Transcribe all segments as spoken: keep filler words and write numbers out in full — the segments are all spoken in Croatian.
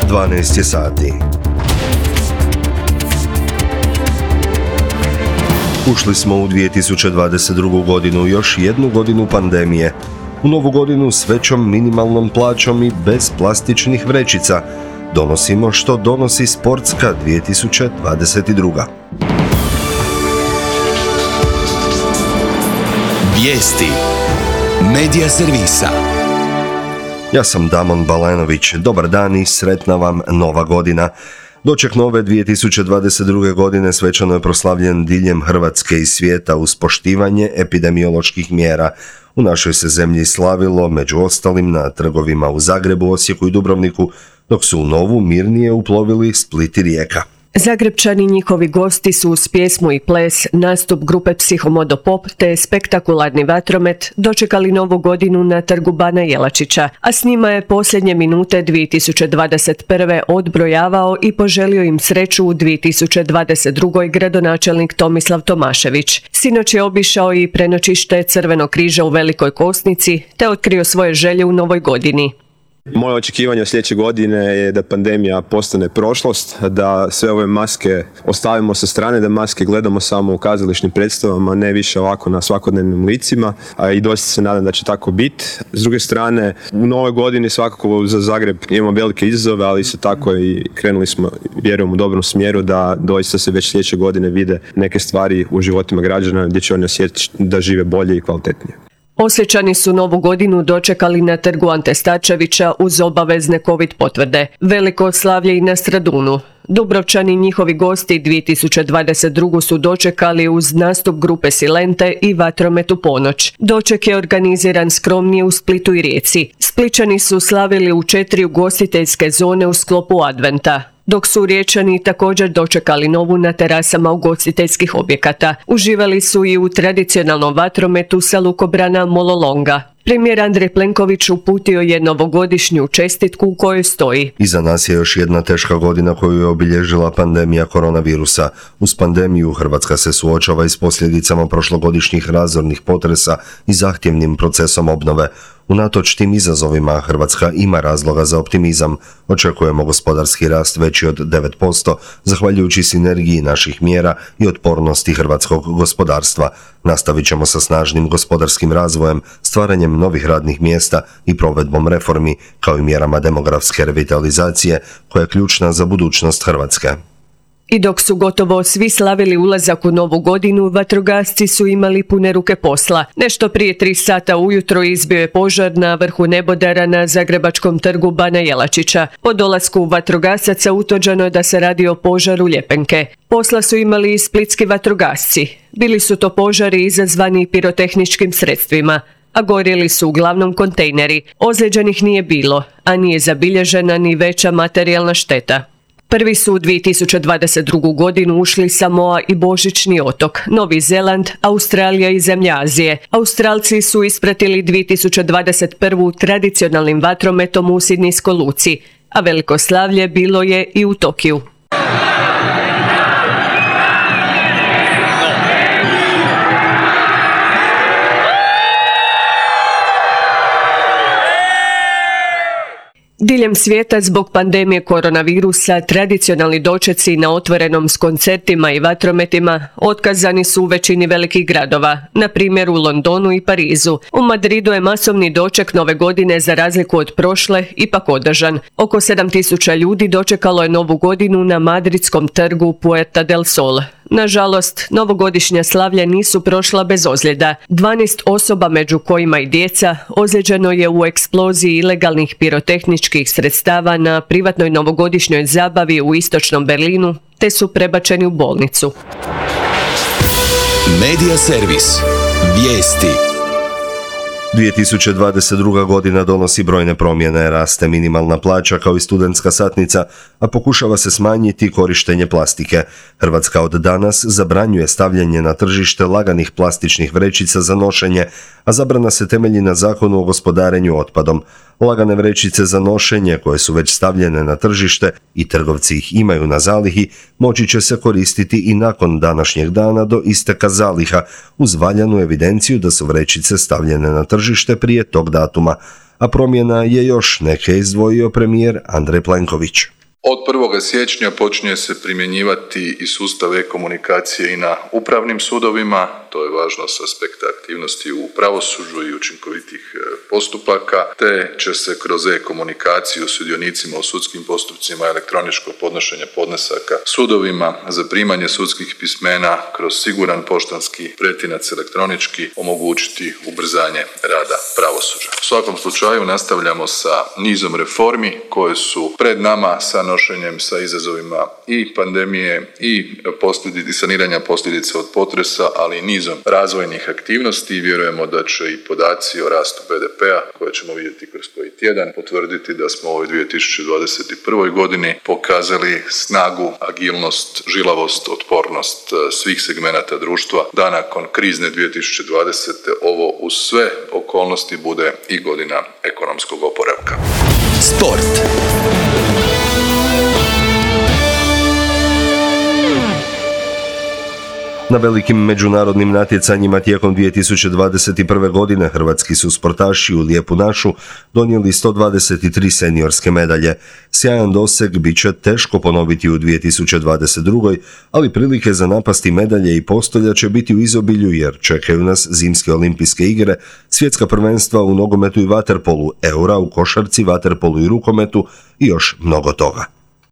dvanaest je sati. Ušli smo u dvije tisuće dvadeset drugu. godinu, još jednu godinu pandemije. U novu godinu s većom minimalnom plaćom i bez plastičnih vrećica donosimo što donosi sportska dvije tisuće dvadeset druga. Vijesti Medija servisa. Ja sam Damon Balenović. Dobar dan i sretna vam nova godina. Doček nove dvije tisuće dvadeset druge. godine svečano je proslavljen diljem Hrvatske i svijeta uz poštivanje epidemioloških mjera. U našoj se zemlji slavilo, među ostalim, na trgovima u Zagrebu, Osijeku i Dubrovniku, dok su u novu mirnije uplovili Split i Rijeka. Zagrebčani i njihovi gosti su uz pjesmu i ples, nastup grupe Psihomodo Pop te spektakularni vatromet dočekali novu godinu na trgu Bana Jelačića, a s njima je posljednje minute dvije tisuće dvadeset prve. odbrojavao i poželio im sreću u dvije tisuće dvadeset drugoj. gradonačelnik Tomislav Tomašević. Sinoć je obišao i prenoćište Crvenog križa u Velikoj Kosnici te otkrio svoje želje u novoj godini. Moje očekivanje od sljedeće godine je da pandemija postane prošlost, da sve ove maske ostavimo sa strane, da maske gledamo samo u kazališnim predstavama, ne više ovako na svakodnevnim licima, a i doista se nadam da će tako biti. S druge strane, u novoj godini svakako za Zagreb imamo velike izazove, ali isto tako i krenuli smo, vjerujem, u dobrom smjeru da doista se već sljedeće godine vide neke stvari u životima građana gdje će oni osjetiti da žive bolje i kvalitetnije. Osječani su novu godinu dočekali na trgu Ante Starčevića uz obavezne covid potvrde. Veliko slavlje i na Stradunu. Dubrovčani i njihovi gosti dvije tisuće dvadeset drugu. su dočekali uz nastup grupe Silente i vatromet u ponoć. Doček je organiziran skromnije u Splitu i Rijeci. Spličani su slavili u četiri ugostiteljske zone u sklopu Adventa, dok su Riječani također dočekali novu na terasama ugostiteljskih objekata. Uživali su i u tradicionalnom vatrometu sa lukobrana Mololonga. Premijer Andrej Plenković uputio je novogodišnju čestitku u kojoj stoji: Iza nas je još jedna teška godina koju je obilježila pandemija koronavirusa. Uz pandemiju Hrvatska se suočava i s posljedicama prošlogodišnjih razornih potresa i zahtjevnim procesom obnove. Unatoč tim izazovima Hrvatska ima razloga za optimizam. Očekujemo gospodarski rast veći od devet posto, zahvaljujući sinergiji naših mjera i otpornosti hrvatskog gospodarstva. Nastavit ćemo sa snažnim gospodarskim razvojem, stvaranjem novih radnih mjesta i provedbom reformi, kao i mjerama demografske revitalizacije, koja je ključna za budućnost Hrvatske. I dok su gotovo svi slavili ulazak u novu godinu, vatrogasci su imali pune ruke posla. Nešto prije tri sata ujutro izbio je požar na vrhu nebodera na zagrebačkom trgu Bana Jelačića. Po dolasku vatrogasaca utvrđeno je da se radi o požaru ljepenke. Posla su imali i splitski vatrogasci. Bili su to požari izazvani pirotehničkim sredstvima, a gorjeli su uglavnom kontejneri. Ozlijeđenih nije bilo, a nije zabilježena ni veća materijalna šteta. Prvi su u dvije tisuće dvadeset drugu. godinu ušli Samoa i Božićni otok, Novi Zeland, Australija i zemlje Azije. Australci su ispratili dvije tisuće dvadeset prvu. tradicionalnim vatrometom u Sidnijskoj luci, a veliko slavlje bilo je i u Tokiju. Diljem svijeta zbog pandemije koronavirusa tradicionalni dočeci na otvorenom s koncertima i vatrometima otkazani su u većini velikih gradova, na primjer u Londonu i Parizu. U Madridu je masovni doček nove godine za razliku od prošle ipak održan. Oko sedam tisuća ljudi dočekalo je novu godinu na madridskom trgu Puerta del Sol. Nažalost, novogodišnja slavlja nisu prošla bez ozljeda. dvanaest osoba, među kojima i djeca, ozlijeđeno je u eksploziji ilegalnih pirotehničkih sredstava na privatnoj novogodišnjoj zabavi u istočnom Berlinu, te su prebačeni u bolnicu. Medija servis. Vijesti. dvije tisuće dvadeset druga. godina donosi brojne promjene, raste minimalna plaća kao i studentska satnica, a pokušava se smanjiti korištenje plastike. Hrvatska od danas zabranjuje stavljanje na tržište laganih plastičnih vrećica za nošenje, a zabrana se temelji na Zakonu o gospodarenju otpadom. Lagane vrećice za nošenje, koje su već stavljene na tržište i trgovci ih imaju na zalihi, moći će se koristiti i nakon današnjeg dana do isteka zaliha, uz valjanu evidenciju da su vrećice stavljene na tržište prije tog datuma. A promjena je još neke izdvojio premijer Andrej Plenković. Od prvog siječnja počinje se primjenjivati i sustav e-komunikacije i na upravnim sudovima. To je važno s aspekta aktivnosti u pravosuđu i učinkovitih postupaka, te će se kroz e-komunikaciju sudionicima u sudskim postupcima, elektroničko podnošenje podnesaka sudovima, zaprimanje sudskih pismena kroz siguran poštanski pretinac elektronički omogućiti ubrzanje rada pravosuđa. U svakom slučaju nastavljamo sa nizom reformi koje su pred nama sa nošenjem sa izazovima i pandemije i posljedica saniranja posljedica od potresa, ali i nizom razvojnih aktivnosti i vjerujemo da će i podaci o rastu be de pea koje ćemo vidjeti kroz koji tjedan potvrditi da smo u ovoj dvije tisuće dvadeset prvoj godini pokazali snagu, agilnost, žilavost, otpornost svih segmenata društva da nakon krizne dvije tisuće dvadesete ovo uz sve okolnosti bude i godina ekonomskog oporavka. Sport. Na velikim međunarodnim natjecanjima tijekom dvije tisuće dvadeset prve. godine hrvatski su sportaši u Lijepu našu donijeli sto dvadeset tri seniorske medalje. Sjajan doseg bit će teško ponoviti u dvije tisuće dvadeset drugoj. ali prilike za napasti medalje i postolja će biti u izobilju jer čekaju nas zimske olimpijske igre, svjetska prvenstva u nogometu i vaterpolu, eura u košarci, vaterpolu i rukometu i još mnogo toga.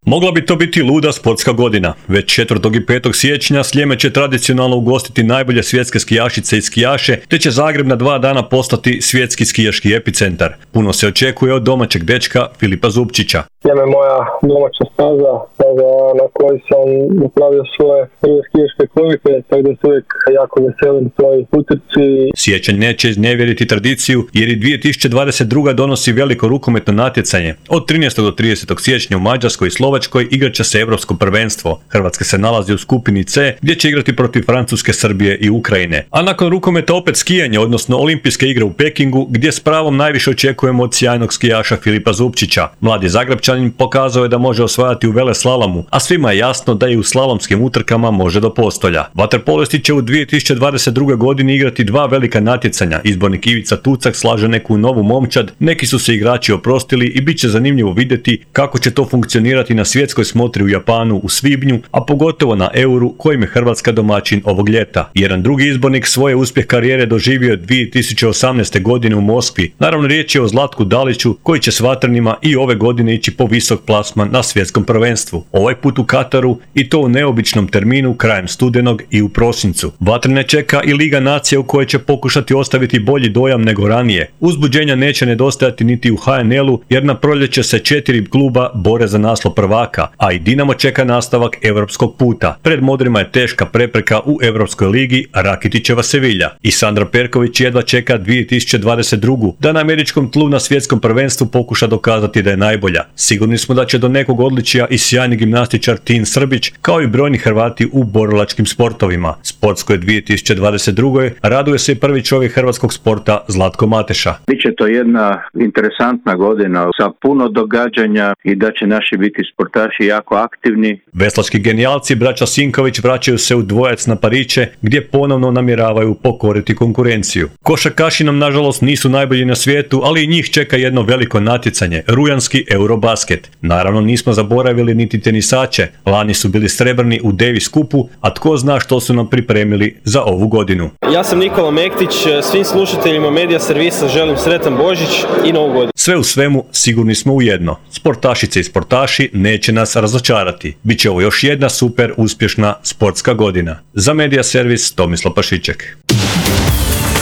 Mogla bi to biti luda sportska godina. Već četvrtog i petog siječnja Sljeme će tradicionalno ugostiti najbolje svjetske skijašice i skijaše, te će Zagreb na dva dana postati svjetski skijaški epicentar. Puno se očekuje od domaćeg dečka Filipa Zupčića. Sljeme je moja domaća staza, staza na kojoj sam napravio svoje prve skijaške kovike, tako da se uvijek jako veselim svoj utrci. Siječanj neće iznevjeriti tradiciju jer i dvije tisuće dvadeset druga. donosi veliko rukometno natjecanje. Od trinaestog do tridesetog siječnja u Mađarskoj i Slovačkoj igrat će se Europsko prvenstvo. Hrvatska se nalazi u skupini C gdje će igrati protiv Francuske, Srbije i Ukrajine. A nakon rukometa opet skijanje, odnosno olimpijske igre u Pekingu gdje s pravom najviše očekujemo od sjajnog skijaša Filipa Zupčića. Mladi Zagrebčanin pokazao je da može osvajati u veleslalomu, a svima je jasno da i u slalomskim utrkama može do postolja. Vaterpolisti će u dvije tisuće dvadeset druge. godini igrati dva velika natjecanja. Izbornik Ivica Tucak slaže neku novu momčad, neki su se igrači oprostili i bit će zanimljivo vidjeti kako će to funkcionirati na svjetskoj smotri u Japanu u svibnju, a pogotovo na Euru kojim je Hrvatska domaćin ovog ljeta. Jedan drugi izbornik svoje uspjeh karijere doživio dvije tisuće osamnaeste. godine u Moskvi. Naravno riječ je o Zlatku Daliću koji će s vatrenima i ove godine ići po visok plasman na svjetskom prvenstvu. Ovaj put u Kataru i to u neobičnom terminu krajem studenog i u prosincu. Vatrene čeka i Liga nacija u kojoj će pokušati ostaviti bolji dojam nego ranije. Uzbuđenja neće nedostajati niti u ha en el-u jer na proljeće se četiri kluba bore za naslov prvaka, a i Dinamo čeka nastavak europskog puta. Pred modrima je teška prepreka u Europskoj ligi Rakitićeva Sevilja. I Sandra Perković jedva čeka dvije tisuće dvadeset drugu. da na američkom tlu na svjetskom prvenstvu pokuša dokazati da je najbolja. Sigurni smo da će do nekog odličija i sjajni gimnastičar Tin Srbić, kao i brojni Hrvati u borilačkim sportovima. Sportskoj dvije tisuće dvadeset druge. raduje se i prvi čovjek hrvatskog sporta Zlatko Mateša. Biće to jedna interesantna godina sa puno događanja i da će naši biti sportaši jako aktivni. Veslački genijalci braća Sinković vraćaju se u dvojac na Pariće gdje ponovno namjeravaju pokoriti konkurenciju. Košarkaši nam nažalost nisu najbolji na svijetu, ali i njih čeka jedno veliko natjecanje, rujanski Eurobasket. Naravno nismo zaboravili niti tenisače, lani su bili srebrni u Davis kupu, a tko zna što su nam pripremili za ovu godinu. Ja sam Nikola Mektić, svim slušateljima Medija Servisa želim sretan Božić i Novu godinu. Sve u svemu sigurni smo u jedno, sportašice i sportaši neće nas razočarati. Biće ovo još jedna super uspješna sportska godina. Za Medija Servis Tomislav Pašiček.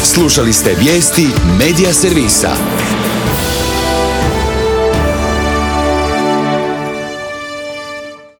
Slušali ste vijesti Medija Servisa.